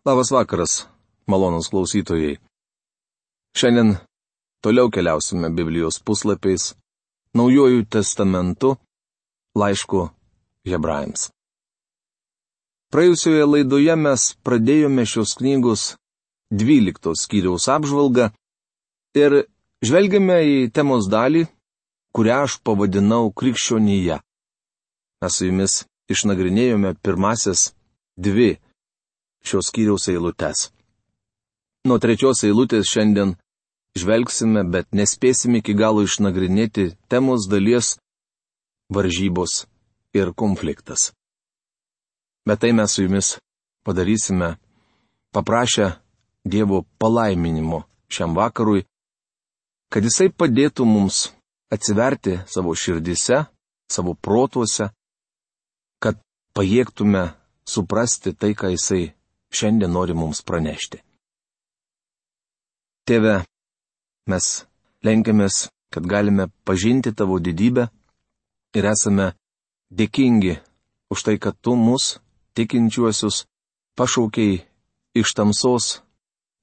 Labas vakaras, malonūs klausytojai. Šiandien toliau keliausime Biblijos puslapiais, Naujuoju testamentu, laišku Hebrajams. Praėjusioje laidoje mes pradėjome šios knygos 12 skyriaus apžvalgą ir žvelgiame į temos dalį, kurią aš pavadinau krikščionija. Mes su jumis išnagrinėjome pirmasias 2 šios skyriaus eilutes. Nuo 3 eilutės šiandien žvelgsime, bet nespėsime iki galo išnagrinėti temos dalies varžybos ir konfliktas. Bet tai mes su jumis padarysime, paprašę Dievo palaiminimo šiam vakarui, kad Jisai padėtų mums atsiverti savo širdyse, savo protuose, kad pajėgtume suprasti tai, ką Jisai šiandien nori mums pranešti. Tėve, mes lenkiamės, kad galime pažinti Tavo didybę ir esame dėkingi už tai, kad Tu mus, tikinčiuosius, pašaukei iš tamsos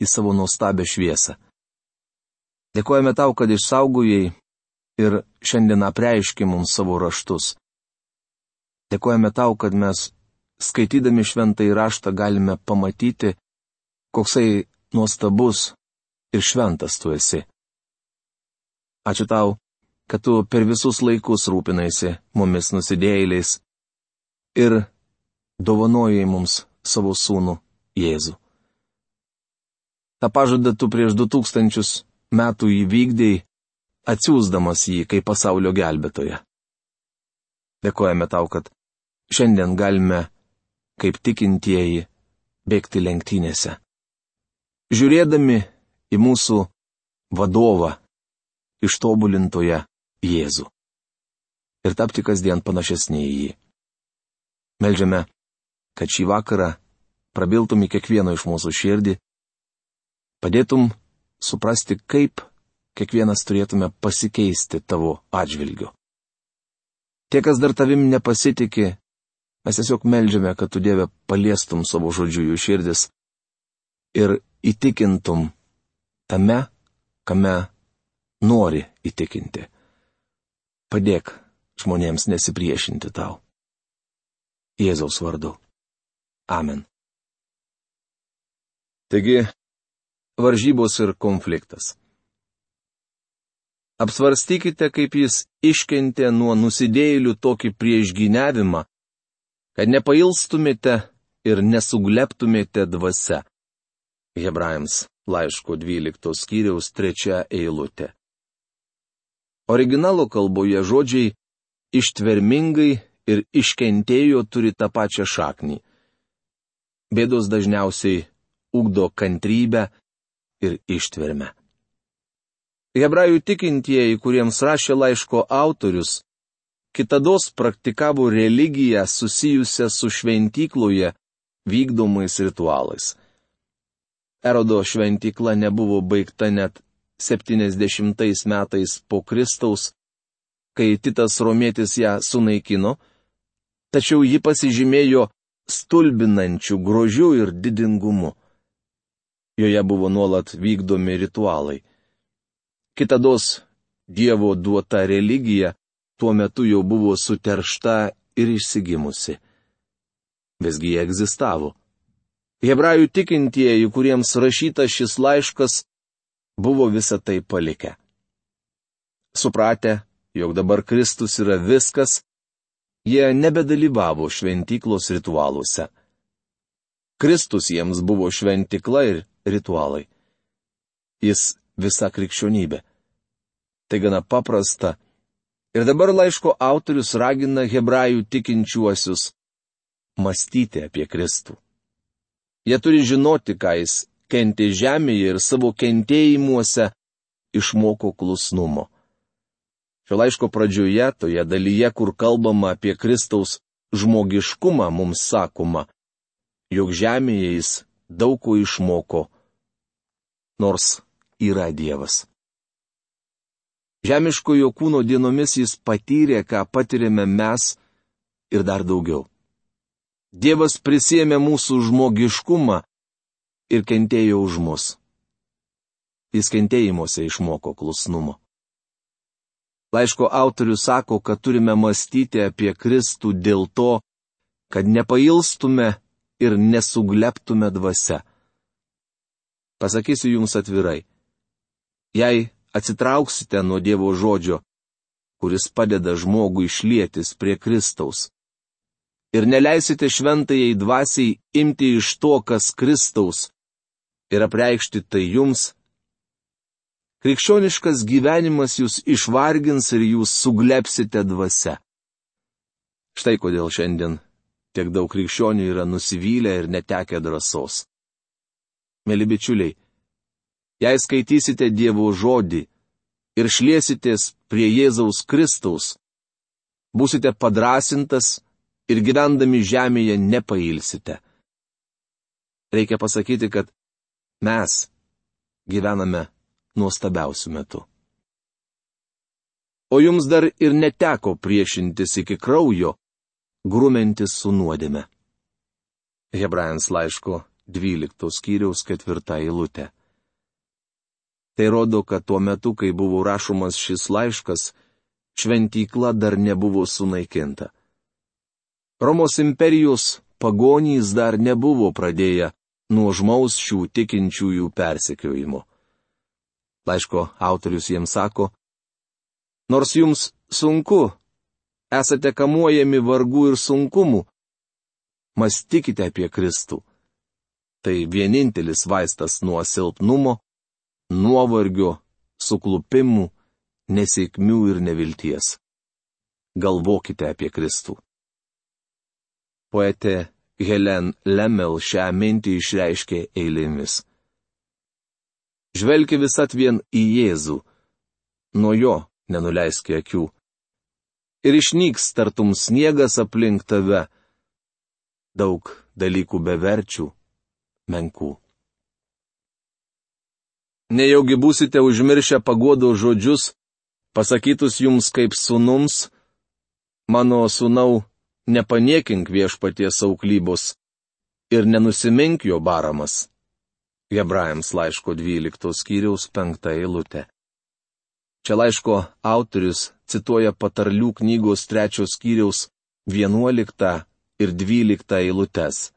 į savo nuostabią šviesą. Dėkojame Tau, kad išsaugojai ir šiandien apreiški mums savo raštus. Dėkojame Tau, kad mes, skaitydami šventąjį raštą, galime pamatyti, koksai nuostabus ir šventas Tu esi. Ačiū Tau, kad Tu per visus laikus rūpinaisi mumis nusidėjėliais ir dovanojai mums savo sūnų Jėzų. Ta pažada Tu prieš 2000 metų įvykdėjai, atsiųsdamas jį kaip pasaulio gelbėtoją. Dėkojame Tau, kad šiandien galime, kaip tikintieji, bėgti lenktynėse, žiūrėdami į mūsų vadovą, ištobulintoją Jėzų, ir tapti kasdien panašesnį į jį. Meldžiame, kad šį vakarą prabiltum į kiekvieno iš mūsų širdį, padėtum suprasti, kaip kiekvienas turėtume pasikeisti Tavo atžvilgiu. Tie, kas dar Tavim nepasitikė, mes tiesiog meldžiame, kad Tu, Dieve, paliestum savo žodžiu jų širdis ir įtikintum tame, kame nori įtikinti. Padėk žmonėms nesipriešinti Tau. Jėzaus vardu. Amen. Taigi, varžybos ir konfliktas. Apsvarstykite, kaip jis iškentė nuo nusidėjėlių tokį priešgyniavimą, kad nepailstumėte ir nesugleptumėte dvasia. Hebrajams laiško 12 skyriaus 3 eilutė. Originalo kalboje žodžiai ištvermingai ir iškentėjo turi tą pačią šaknį. Bėdos dažniausiai ugdo kantrybę ir ištvermę. Hebrajų tikintieji, kuriems rašė laiško autorius, kitados praktikavo religiją susijusią su šventykloje vykdomais ritualais. Erodo šventykla nebuvo baigta net 70 metais po Kristaus, kai Titas Romietis ją sunaikino, tačiau ji pasižymėjo stulbinančiu grožiu ir didingumu. Joje buvo nuolat vykdomi ritualai. Kitados Dievo duota religija tuo metu jau buvo suteršta ir išsigimusi. Visgi jie egzistavo. Hebrajų tikintieji, kuriems rašytas šis laiškas, buvo visą tai palikę. Supratę, jog dabar Kristus yra viskas, jie nebedalyvavo šventyklos ritualuose. Kristus jiems buvo šventykla ir ritualai. Jis visa krikščionybė. Tai gana paprasta. Ir dabar laiško autorius ragina hebrajų tikinčiuosius mąstyti apie Kristų. Jie turi žinoti, ką jis kentė žemėje ir savo kentėjimuose išmoko klusnumo. Šio laiško pradžioje, toje dalyje, kur kalbama apie Kristaus žmogiškumą, mums sakoma, jog žemėje jis daug ko išmoko, nors yra Dievas. Žemiškojo kūno dienomis jis patyrė, ką patyrėme mes ir dar daugiau. Dievas prisėmė mūsų žmogiškumą ir kentėjo už mus. Jis kentėjimuose išmoko klusnumo. Laiško autorius sako, kad turime mąstyti apie Kristų dėl to, kad nepailstume ir nesugleptume dvasia. Pasakysiu jums atvirai. Jei atsitrauksite nuo Dievo žodžio, kuris padeda žmogui išlietis prie Kristaus, ir neleisite šventajai dvasiai imti iš to, kas Kristaus, ir apreikšti tai jums, krikščioniškas gyvenimas jūs išvargins ir jūs suglepsite dvasia. Štai kodėl šiandien tiek daug krikščionių yra nusivylę ir netekę drąsos. Mėly bičiuliai, jei skaitysite Dievo žodį ir šliesitės prie Jėzaus Kristaus, būsite padrasintas ir gyvendami žemėje nepailsite. Reikia pasakyti, kad mes gyvename nuostabiausių metų. O jums dar ir neteko priešintis iki kraujo, grumentis su nuodėme. Hebrajams laiško 12 skyriaus 4 eilutė. Tai rodo, kad tuo metu, kai buvo rašomas šis laiškas, šventykla dar nebuvo sunaikinta. Romos imperijos pagonys dar nebuvo pradėję nuožmaus šių tikinčiųjų persekiojimo. Laiško autorius jiems sako, nors jums sunku, esate kamuojami vargų ir sunkumų, mąstykite apie Kristų. Tai vienintelis vaistas nuo silpnumo, nuovargio, suklupimų, nesėkmių ir nevilties. Galvokite apie Kristų. Poetė Helen Lemel šią mintį išreiškė eilėmis. Žvelki visat vien į Jėzų, nuo jo nenuleiski akių. Ir išnyks tartum sniegas aplink tave, daug dalykų beverčių, menkų. Nejaugi būsite užmiršę paguodos žodžius, pasakytus jums kaip sūnums, mano sūnau, nepaniekink viešpaties auklybos ir nenusimink jo baramas. Hebrajams laiško 12 skyriaus 5 eilutė. Čia laiško autorius cituoja patarlių knygos 3 skyriaus 11 ir 12 eilutes.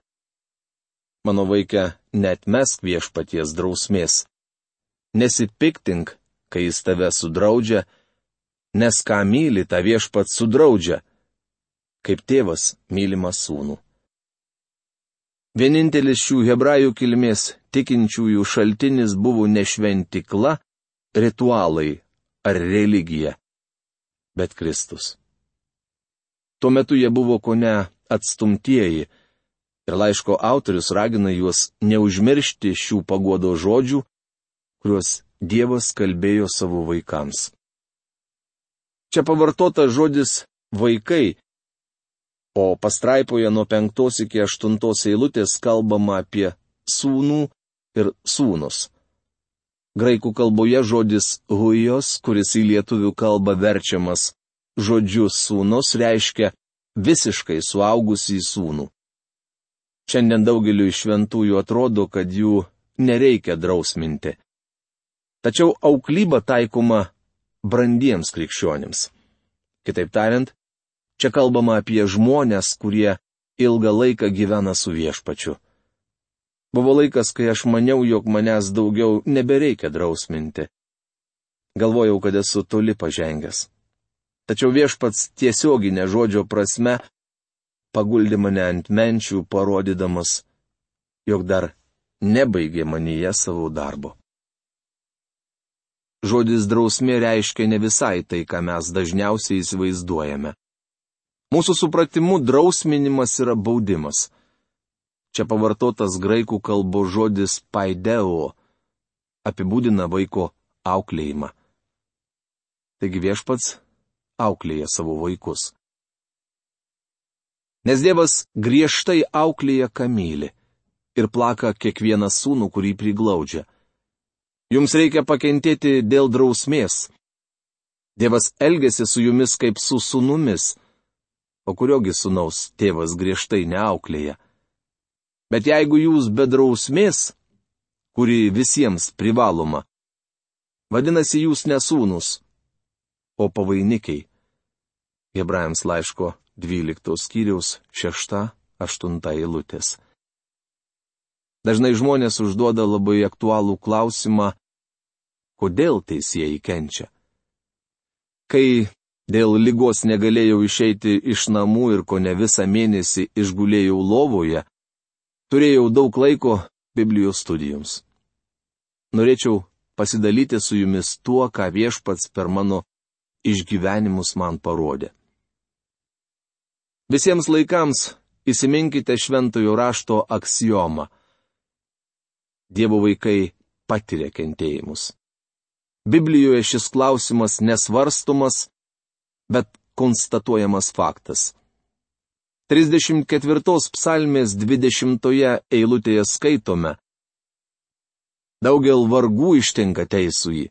Mano vaike, neatmesk viešpaties drausmės. Nesipiktink, kai jis tave sudraudžia, nes ką myli, tą viešpats sudraudžia, kaip tėvas mylimą sūnų. Vienintelis šių hebrajų kilmės tikinčiųjų šaltinis buvo ne šventykla, ritualai ar religija, bet Kristus. Tuo metu jie buvo kone atstumtieji ir laiško autorius ragina juos neužmiršti šių paguodos žodžių, kuriuos Dievas kalbėjo savo vaikams. Čia pavartotas žodis vaikai, o pastraipoje nuo 5 iki 8 eilutės kalbama apie sūnų ir sūnus. Graikų kalboje žodis huijos, kuris į lietuvių kalbą verčiamas žodžiu sūnus, reiškia visiškai suaugusį sūnų. Šiandien daugeliu šventųjų atrodo, kad jų nereikia drausminti. Tačiau auklyba taikoma brandiems krikščionims. Kitaip tariant, čia kalbama apie žmonės, kurie ilgą laiką gyvena su viešpačiu. Buvo laikas, kai aš maniau, jog manęs daugiau nebereikia drausminti. Galvojau, kad esu toli pažengęs. Tačiau viešpats tiesioginė žodžio prasme paguldė mane ant menčių, parodydamas, jog dar nebaigė manyje savo darbo. Žodis drausmė reiškia ne visai tai, ką mes dažniausiai įsivaizduojame. Mūsų supratimu drausminimas yra baudimas. Čia pavartotas graikų kalbos žodis paideo apibūdina vaiko auklėjimą. Taigi viešpats auklėja savo vaikus. Nes Dievas griežtai auklėja, ką myli, ir plaka kiekvieną sūnų, kurį priglaudžia. Jums reikia pakentėti dėl drausmės. Dievas elgiasi su jumis kaip su sūnumis, o kuriogi sūnaus tėvas griežtai neauklėja. Bet jeigu jūs be drausmės kuri visiems privaloma. Vadinasi, jūs nesūnus, o pavainikiai. Hebrajams laiško 12 skyriaus 6-8 eilutės. Dažnai žmonės užduoda labai aktualų klausimą, kodėl teisėjai kenčia. Kai dėl ligos negalėjau išeiti iš namų ir kone visą mėnesį išgulėjau lovoje, turėjau daug laiko Biblijos studijoms. Norėčiau pasidalyti su jumis tuo, ką Viešpats per mano išgyvenimus man parodė. Visiems laikams įsiminkite šventojo rašto aksiomą. Dievo vaikai patiria kentėjimus. Biblijoje šis klausimas nesvarstomas, bet konstatuojamas faktas. 34 psalmės 20 eilutėje skaitome: Daugel vargų ištinka teisųjį,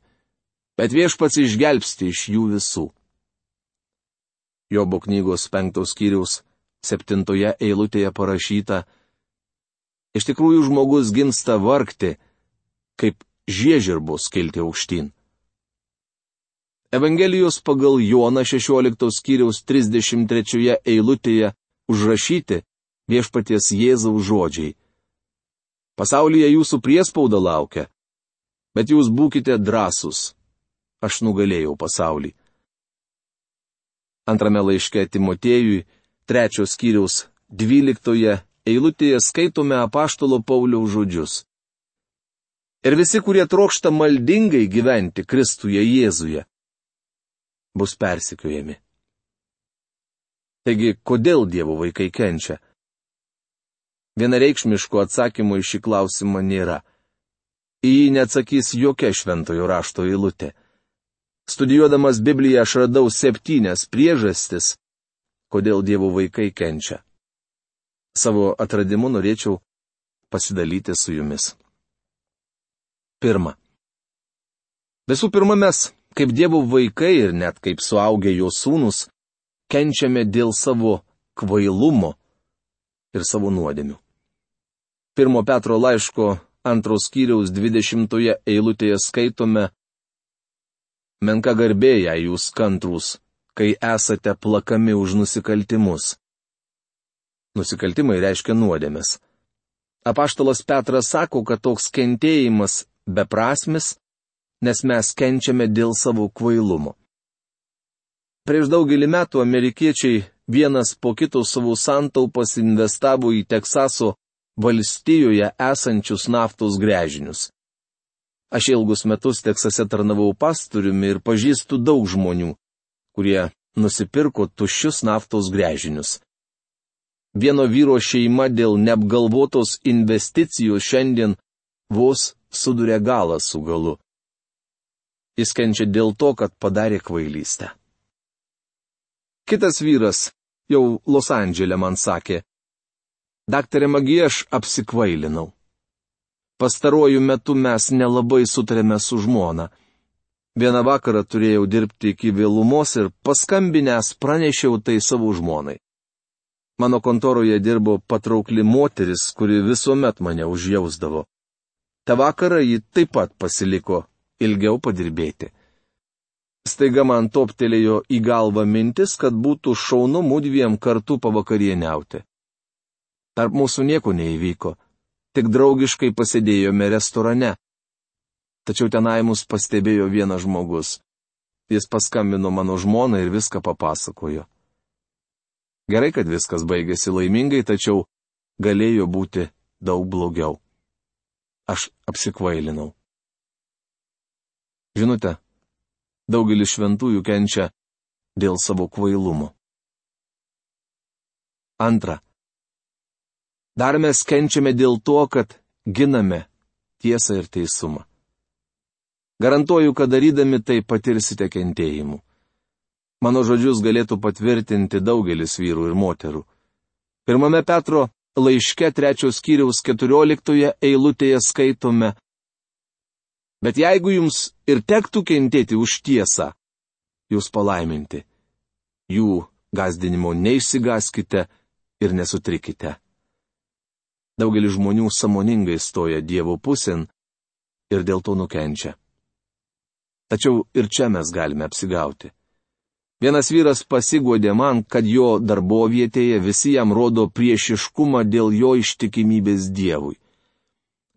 bet Viešpats išgelbsti iš jų visų. Jobo knygos 5 skyriaus 7 eilutėje parašyta: Iš tikrųjų žmogus gimsta vargti, kaip žiežirbos kilti aukštyn. Evangelijos pagal Joną 16 skyriaus 33 eilutėje užrašyti Viešpaties Jėzaus žodžiai: Pasaulyje jūsų priespauda laukia, bet jūs būkite drąsūs, aš nugalėjau pasaulį. Antrame laiške Timotiejui 3 skyriaus 12 eilutėje skaitome apaštalo Pauliaus žodžius: Ir visi, kurie trokšta maldingai gyventi Kristuje Jėzuje, bus persekiojami. Taigi, kodėl Dievo vaikai kenčia? Vienareikšmiško atsakymo į šį klausimą nėra. Į jį neatsakys jokia šventojo rašto eilutė. Studijuodamas Bibliją aš radau 7 priežastis, kodėl Dievo vaikai kenčia. Savo atradimu norėčiau pasidalyti su jumis. 1. Visų pirma, mes, kaip Dievo vaikai ir net kaip suaugę jo sūnus, kenčiame dėl savo kvailumo ir savo nuodėmių. 1 Petro laiško 2 skyriaus 20 eilutėje skaitome: Menka garbė, jei jūs kantrūs, kai esate plakami už nusikaltimus. Nusikaltimai reiškia nuodėmes. Apaštalas Petras sako, kad toks kentėjimas beprasmis, nes mes kenčiame dėl savo kvailumo. Prieš daugelį metų amerikiečiai vienas po kito savo santaupas investavo į Teksaso valstijoje esančius naftos gręžinius. Aš ilgus metus Teksase tarnavau pastoriumi ir pažįstu daug žmonių, kurie nusipirko tuščius naftos gręžinius. Vieno vyro šeima dėl neapgalvotos investicijos šiandien vos suduria galą su galu. Jis kenčia dėl to, kad padarė kvailystę. Kitas vyras jau Los Andžele man sakė: Daktare Magi, aš apsikvailinau. Pastaruoju metu mes nelabai sutarėme su žmona. Vieną vakarą turėjau dirbti iki vėlumos ir paskambinęs pranešiau tai savo žmonai. Mano kontoroje dirbo patraukli moteris, kuri visuomet mane užjausdavo. Ta vakarą ji taip pat pasiliko ilgiau padirbėti. Staiga man toptelėjo į galvą mintis, kad būtų šaunu mudviem kartu pavakarieniauti. Tarp mūsų nieko neįvyko, tik draugiškai pasėdėjome restorane. Tačiau tenai mus pastebėjo vienas žmogus. Jis paskambino mano žmonai ir viską papasakojo. Gerai, kad viskas baigėsi laimingai, tačiau galėjo būti daug blogiau. Aš apsikvailinau. Žinote, daugelis šventųjų kenčia dėl savo kvailumo. 2. Dar mes kenčiame dėl to, kad giname tiesą ir teisumą. Garantuoju, kad darydami tai patirsite kentėjimų. Mano žodžius galėtų patvirtinti daugelis vyrų ir moterų. 1 Petro laiške 3 skyriaus 14 eilutėje skaitome: Bet jeigu jums ir tektų kentėti už tiesą, jūs palaiminti. Jų gąsdinimo neišsigąskite ir nesutrikite. Daugelis žmonių sąmoningai stoja Dievo pusėn, ir dėl to nukenčia. Tačiau ir čia mes galime apsigauti. Vienas vyras pasiguodė man, kad jo darbovietėje visi jam rodo priešiškumą dėl jo ištikimybės Dievui.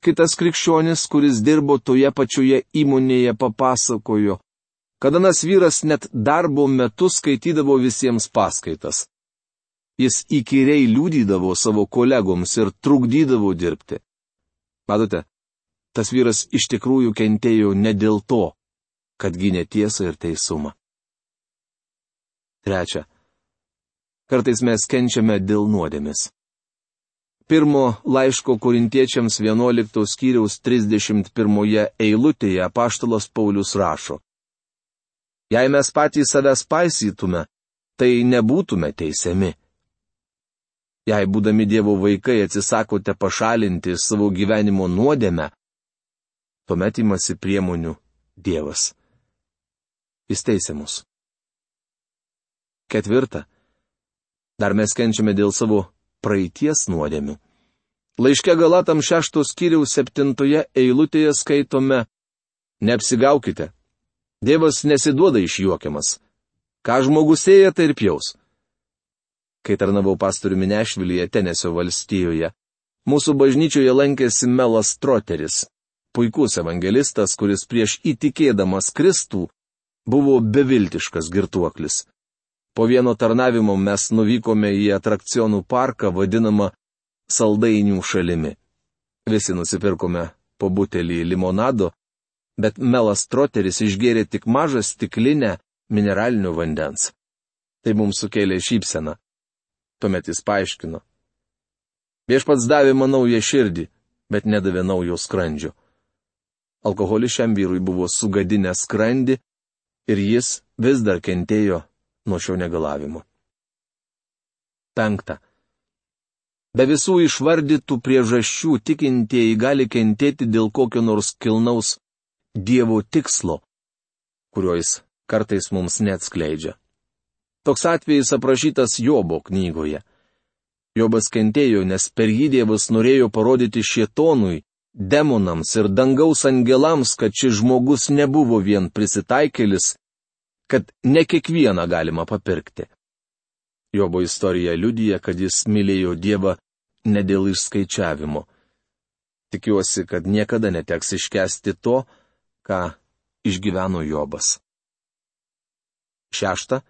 Kitas krikščionis, kuris dirbo toje pačioje įmonėje, papasakojo, kad anas vyras net darbo metu skaitydavo visiems paskaitas. Jis įkyriai liudydavo savo kolegoms ir trukdydavo dirbti. Matote, tas vyras iš tikrųjų kentėjo ne dėl to, kad gynė tiesą ir teisumą. Trečia. Kartais mes kenčiame dėl nuodėmės. Pirmo laiško Korintiečiams 11 skyriaus 31 eilutėje apaštalas Paulius rašo: Jei mes patys savęs paisytume, tai nebūtume teisiami. Jei būdami Dievo vaikai atsisakote pašalinti savo gyvenimo nuodėmę, tuomet imasi priemonių Dievas. Jis teisia mus. Ketvirta. Dar mes kenčiame dėl savo praeities nuodėmių. Laiške Galatam 6 skyriaus 7 eilutėje skaitome: Neapsigaukite. Dievas nesiduoda išjuokiamas. Ką žmogus sėja, tai ir pjaus. Kai tarnavau pastoriumi Nešvilyje, Tenesio valstijoje, mūsų bažnyčioje lankėsi Melas Troteris, puikus evangelistas, kuris prieš įtikėdamas Kristų buvo beviltiškas girtuoklis. Po vieno tarnavimo mes nuvykome į atrakcionų parką vadinamą Saldainių šalimi. Visi nusipirkome po butelį limonado, bet Melas Troteris išgėrė tik mažą stiklinę mineralinio vandens. Tai mums sukėlė šypseną. Tuomet jis paaiškino: Viešpats davė man naują širdį, bet nedavė naujo skrandžio. Alkoholis šiam vyrui buvo sugadinęs skrandį ir jis vis dar kentėjo nuo šio negalavimo. 5. Be visų išvardytų priežasčių tikintieji gali kentėti dėl kokio nors kilnaus Dievo tikslo, kurio jis kartais mums neatskleidžia. Toks atvejis aprašytas Jobo knygoje. Jobas kentėjo, nes per jį Dievas norėjo parodyti šėtonui, demonams ir dangaus angelams, kad šis žmogus nebuvo vien prisitaikėlis, kad ne kiekvieną galima papirkti. Jobo istorija liudija, kad jis mylėjo Dievą ne dėl išskaičiavimo. Tikiuosi, kad niekada neteks iškęsti to, ką išgyveno Jobas. 6.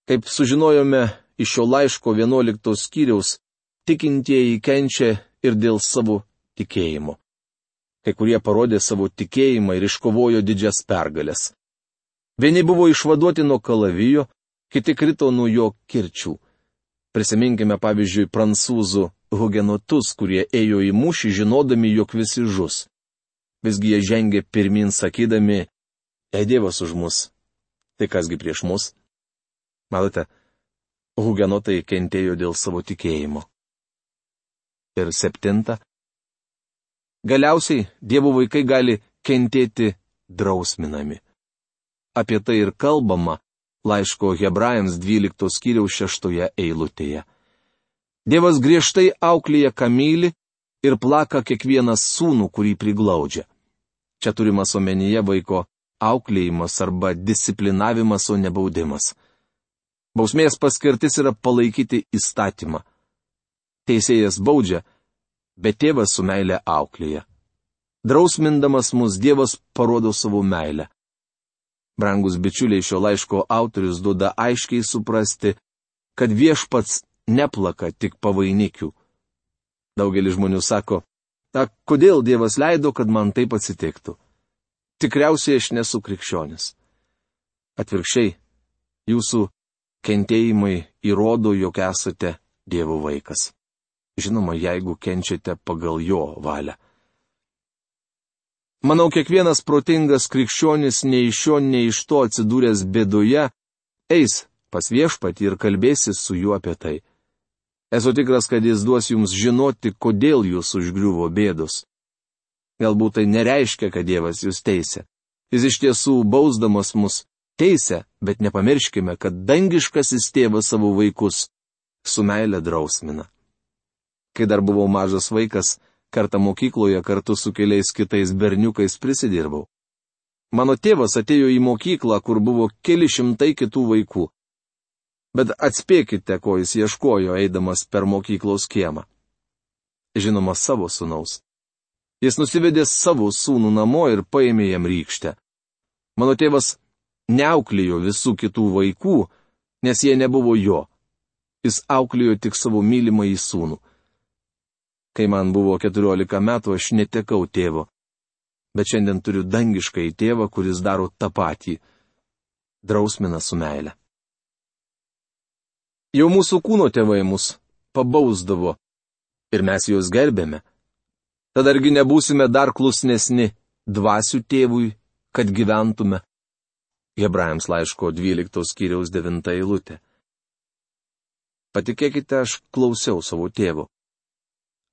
Kaip sužinojome iš šio laiško 11 skyriaus, tikintieji kenčia ir dėl savo tikėjimo. Kai kurie parodė savo tikėjimą ir iškovojo didžias pergales. Vieni buvo išvaduoti nuo kalavijo, kiti krito nuo jo kirčių. Prisiminkime pavyzdžiui prancūzų hugenotus, kurie ėjo į mūšį žinodami, jog visi žus. Visgi jie žengė pirmin sakydami: Jei Dievas už mus, tai kasgi prieš mus? Matote, hugenotai kentėjo dėl savo tikėjimo. Ir 7. Galiausiai Dievo vaikai gali kentėti drausminami. Apie tai ir kalbama laiško Hebrajams 12 skyriaus 6 eilutėje. Dievas griežtai auklėja, ką myli, ir plaka kiekvieną sūnų, kurį priglaudžia. Čia turimas omenyje vaiko auklėjimas arba disciplinavimas, o ne baudimas. Bausmės paskirtis yra palaikyti įstatymą. Teisėjas baudžia, bet tėvas su meile auklėja. Drausmindamas mus Dievas parodo savo meilę. Brangus bičiuliai, šio laiško autorius duoda aiškiai suprasti, kad Viešpats neplaka tik pavainikių. Daugelis žmonių sako: kodėl Dievas leido, kad man taip atsitiktų? Tikriausiai aš nesu krikščionis. Atvirkščiai, jūsų kentėjimai įrodo, jog esate Dievo vaikas. Žinoma, jeigu kenčiate pagal jo valią. Manau, kiekvienas protingas krikščionis nei iš šio, nei iš to atsidūręs bėdoje, eis pas Viešpatį ir kalbėsis su juo apie tai. Esu tikras, kad jis duos jums žinoti, kodėl jūs užgriuvo bėdos. Galbūt tai nereiškia, kad Dievas jūs teisia. Jis iš tiesų, bausdamas mus, teisia, bet nepamirškime, kad dangiškasis tėvas savo vaikus su meile drausmina. Kai dar buvau mažas vaikas, Kartą mokykloje kartu su keliais kitais berniukais prisidirbau. Mano tėvas atėjo į mokyklą, kur buvo keli šimtai kitų vaikų. Bet atspėkite, ko jis ieškojo, eidamas per mokyklos kiemą. Žinoma, savo sūnaus. Jis nusivedė savo sūnų namo ir paėmė jam rykštę. Mano tėvas neauklėjo visų kitų vaikų, nes jie nebuvo jo. Jis auklėjo tik savo mylimąjį sūnų. Kai man buvo 14 metų, aš netekau tėvo. Bet šiandien turiu dangiškai tėvą, kuris daro tą patį. Drausmina su meile. Jau mūsų kūno tėvai mus pabausdavo ir mes juos gerbėme. Tad argi nebūsime dar klusnesni dvasių tėvui, kad gyventume? Hebrajams laiško 12 skyriaus 9 eilutė. Patikėkite, aš klausiau savo tėvo.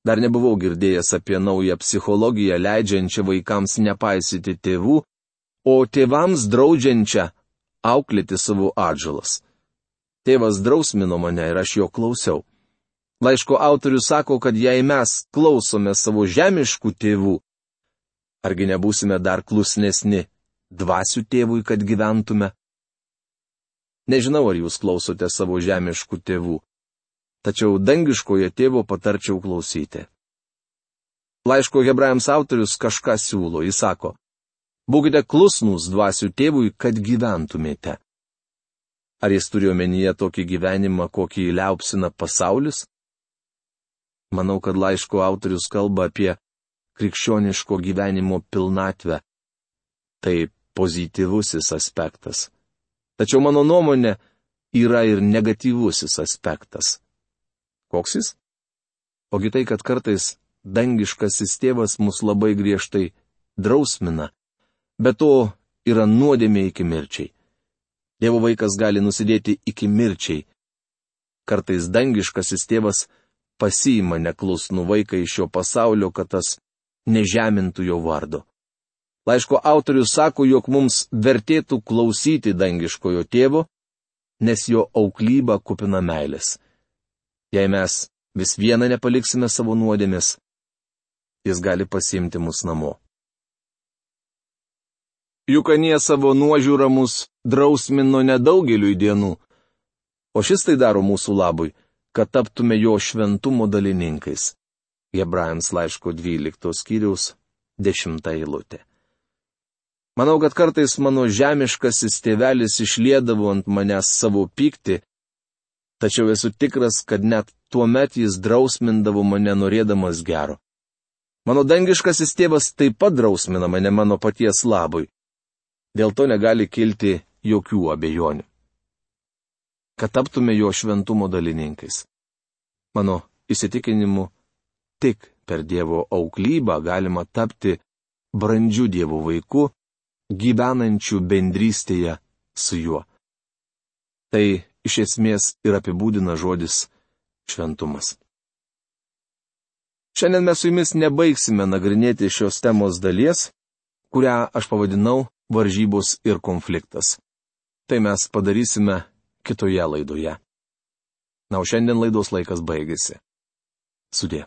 Dar nebuvau girdėjęs apie naują psichologiją, leidžiančią vaikams nepaisyti tėvų, o tėvams draudžiančią auklėti savo atžalas. Tėvas drausmino mane ir aš jo klausiau. Laiško autorius sako, kad jei mes klausome savo žemiškų tėvų, argi nebūsime dar klusnesni dvasių tėvui, kad gyventume? Nežinau, ar jūs klausote savo žemiškų tėvų. Tačiau dangiškojo tėvo patarčiau klausyti. Laiško Hebrajams autorius kažką siūlo, jis sako, būkite klusnūs dvasių tėvui, kad gyventumėte. Ar jis turi omenyje tokį gyvenimą, kokį liaupsina pasaulis? Manau, kad laiško autorius kalba apie krikščioniško gyvenimo pilnatvę. Tai pozityvusis aspektas. Tačiau mano nuomonė yra ir negatyvusis aspektas. Koks jis? Ogi tai, kad kartais dangiškasis tėvas mus labai griežtai drausmina, bet to yra nuodėmė iki mirčiai. Dievo vaikas gali nusidėti iki mirčiai. Kartais dangiškasis tėvas pasiima neklusnų vaiką iš šio pasaulio, kad tas nežemintų jo vardo. Laiško autorius sako, jog mums vertėtų klausyti dangiškojo tėvo, nes jo auklyba kupina meilės. Jei mes vis vieną nepaliksime savo nuodėmės, jis gali pasiimti mus namo. Juk anie savo nuožiūrą mus drausmino nedaugeliui dienų, o šis tai daro mūsų labui, kad taptume jo šventumo dalininkais. Hebrajams laiško 12 skyriaus 10 eilutė. Manau, kad kartais mano žemiškasis tėvelis išliedavo ant manęs savo pyktį, tačiau esu tikras, kad net tuomet jis drausmindavo mane norėdamas gero. Mano dangiškasis tėvas taip pat drausmina mane mano paties labui. Dėl to negali kilti jokių abejonių. Kad taptume jo šventumo dalininkais. Mano įsitikinimu, tik per Dievo auklybą galima tapti brandžiu Dievo vaiku, gyvenančiu bendrystėje su juo. Tai iš esmės ir apibūdina žodis šventumas. Šiandien mes su jumis nebaigsime nagrinėti šios temos dalies, kurią aš pavadinau varžybos ir konfliktas. Tai mes padarysime kitoje laidoje. Na, o šiandien laidos laikas baigėsi. Sudie.